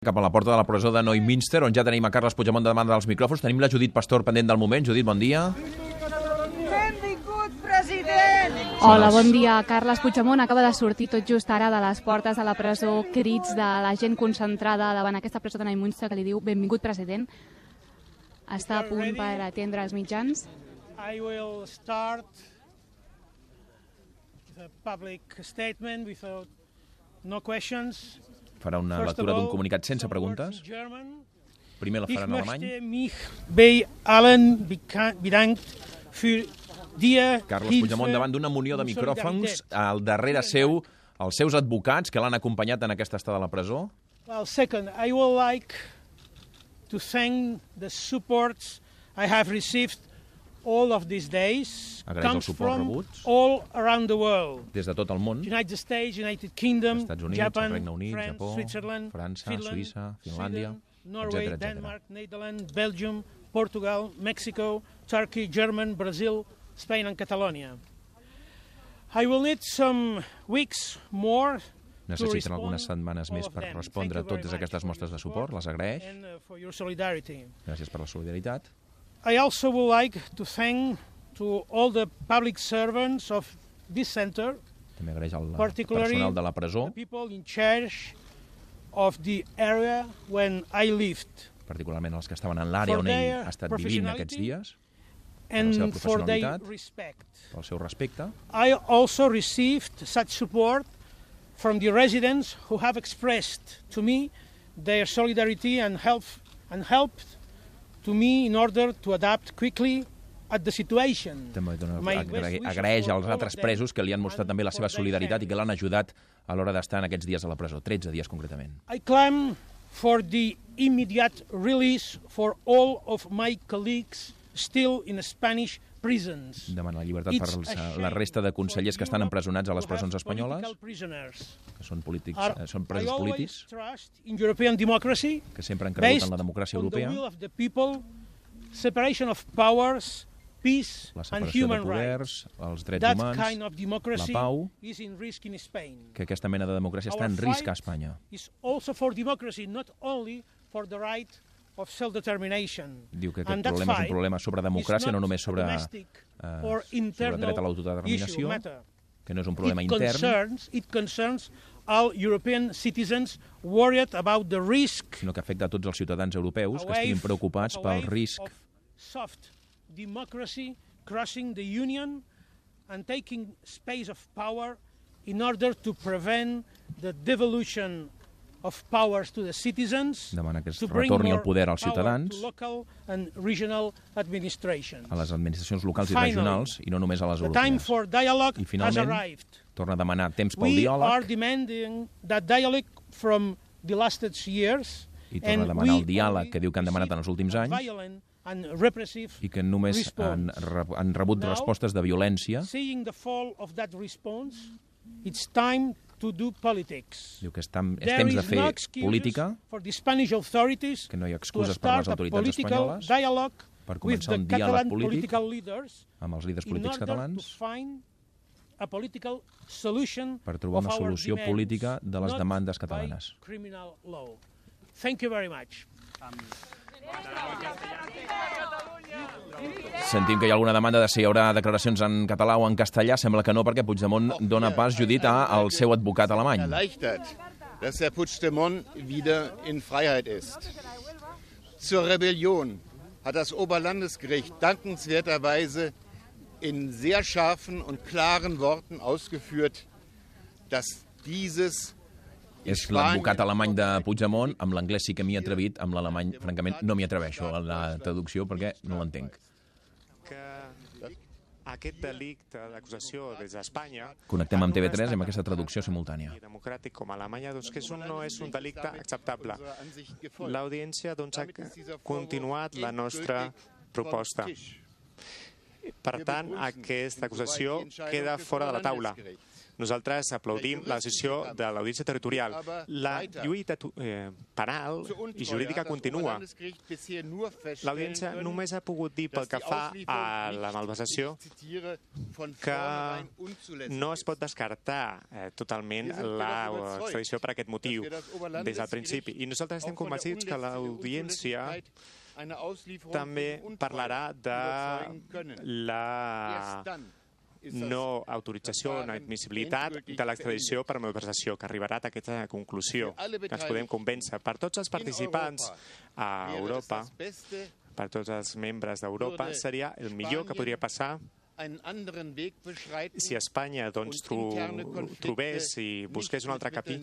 Cap a la porta de la presó de Neumünster, on ja tenim a Carles Puigdemont davant dels micròfons. Tenim la Judit Pastor pendent del moment. Judit, bon dia. Benvingut, president! Hola, bon dia. Carles Puigdemont acaba de sortir tot just ara de les portes de la presó, crits de la gent concentrada davant aquesta presó de Neumünster que li diu benvingut, president. Està a punt per atendre els mitjans. I will start with a public statement without no questions. Farà una lectura d'un comunicat sense preguntes. Primer la farà en alemany. Carles Puigdemont davant d'una munió de micròfons, al darrere seu, els seus advocats que l'han acompanyat en aquesta estada a la presó. Well, second, I would like to thank the supports I have received all of these days. Agraeix el suport rebut all around the world. Des de tot el món. United States, United Kingdom, Estats Units, Japan, el Regne Unit, France, Japó, Switzerland, França, Finland, Suïssa, Finlàndia, Norway, etc. Denmark, Netherlands, Belgium, Portugal, Mexico, Turkey, Germany, Brazil, Spain and Catalonia. I will need some weeks more. Necessiten algunes setmanes més per respondre a totes aquestes mostres de suport. Les agraeix. Gràcies per la solidaritat. I also would like to thank to all the public servants of this center, també agraeix al personal de la presó, the people in charge of the area when I lived, particularment els que estaven en l'àrea on ell ha estat vivint aquests dies, per la seva and for their professionalitat, respect. pel seu respecte. I also received such support from the residents who have expressed to me their solidarity and helped to me in order to adapt quickly at the situation. També agraeix als altres presos que li han mostrat també la seva solidaritat i que l'han ajudat a l'hora d'estar en aquests dies a la presó, 13 dies concretament. I claim for the immediate release for all of my colleagues still in Spanish prisons. Demana la llibertat per la resta de consellers que estan empresonats a les presons espanyoles, que són presos polítics, que sempre han cregut en la democràcia europea, separation of powers, peace la and separació de human poders, rights. els drets That humans, kind of la democracy pau, is in risk in Spain. que aquesta mena de democràcia està en risc a Espanya. Is also for democracy, not only for the right of self-determination. Diu que aquest problema és un problema sobre democràcia, no només sobre dret a l'autodeterminació, que no és un problema intern, It concerns all European citizens worried about the risk, sinó que afecta a tots els ciutadans europeus que estiguin preocupats pel risc soft democracy crossing the Union and taking space of power in order to prevent the devolution of powers to the citizens, demana que es retorni el poder als ciutadans, a les administracions locals i regionals, i no només a les europees. I finalment, torna a demanar temps pel diàleg, i torna a demanar el diàleg que diu que han demanat en els últims anys, i que només han rebut respostes de violència. Diu que és temps de fer política, que no hi ha excuses per a les autoritats espanyoles per començar un diàleg polític amb els líders polítics catalans per trobar una solució política de les demandes catalanes. Sentim que hi ha alguna demanda de si hi haurà declaracions en català o en castellà. Sembla que no, perquè Puigdemont dona pas, Judit, al seu advocat alemany. Dass Herr Puigdemont wieder in Freiheit ist. Zur Rebellion hat das Oberlandesgericht dankenswerterweise in sehr scharfen und klaren Worten ausgeführt, dass dieses és l'advocat alemany de Puigdemont. Amb l'anglès sí que m'hi he atrevit, amb l'alemany, francament, no m'hi atreveixo a la traducció perquè no l'entenc. Aquest delicte d'acusació des d'Espanya... Connectem amb TV3 amb aquesta traducció simultània. ...democràtic com a Alemanya, doncs que no és un delicte acceptable. L'audiència ha continuat la nostra proposta. Per tant, aquesta acusació queda fora de la taula. Nosaltres aplaudim la decisió de l'Audiència Territorial. La lluita penal i jurídica continua. L'Audiència només ha pogut dir pel que fa a la malversació que no es pot descartar totalment l'extradició per aquest motiu des del principi. I nosaltres estem convencits que l'Audiència també parlarà de la no autorització o no admissibilitat de l'extradició per malversació, que arribarà a aquesta conclusió, que ens podem convèncer. Per tots els participants a Europa, per tots els membres d'Europa, seria el millor que podria passar si Espanya trobés i busqués un altre camí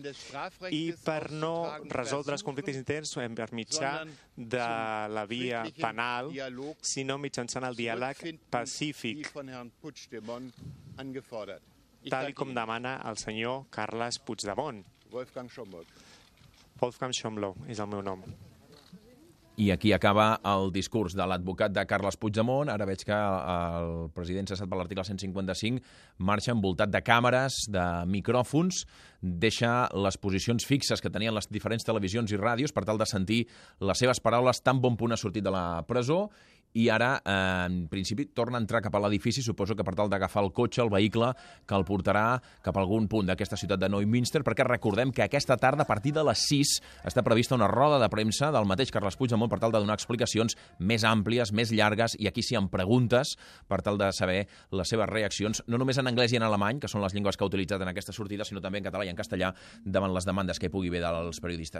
i per no resoldre els conflictes interns per mitjà de la via penal, sinó mitjançant el diàleg pacífic, tal com demana el senyor Carles Puigdemont. Wolfgang Schomburg és el meu nom. I aquí acaba el discurs de l'advocat de Carles Puigdemont. Ara veig que el president cessat per l'article 155 marxa envoltat de càmeres, de micròfons, deixa les posicions fixes que tenien les diferents televisions i ràdios per tal de sentir les seves paraules tan bon punt ha sortit de la presó, i ara, en principi, torna a entrar cap a l'edifici, suposo que per tal d'agafar el cotxe, el vehicle, que el portarà cap a algun punt d'aquesta ciutat de Neumünster, perquè recordem que aquesta tarda, a partir de les 6, està prevista una roda de premsa del mateix Carles Puigdemont per tal de donar explicacions més àmplies, més llargues, i aquí sí amb preguntes, per tal de saber les seves reaccions, no només en anglès i en alemany, que són les llengües que ha utilitzat en aquesta sortida, sinó també en català i en castellà, davant les demandes que hi pugui haver dels periodistes.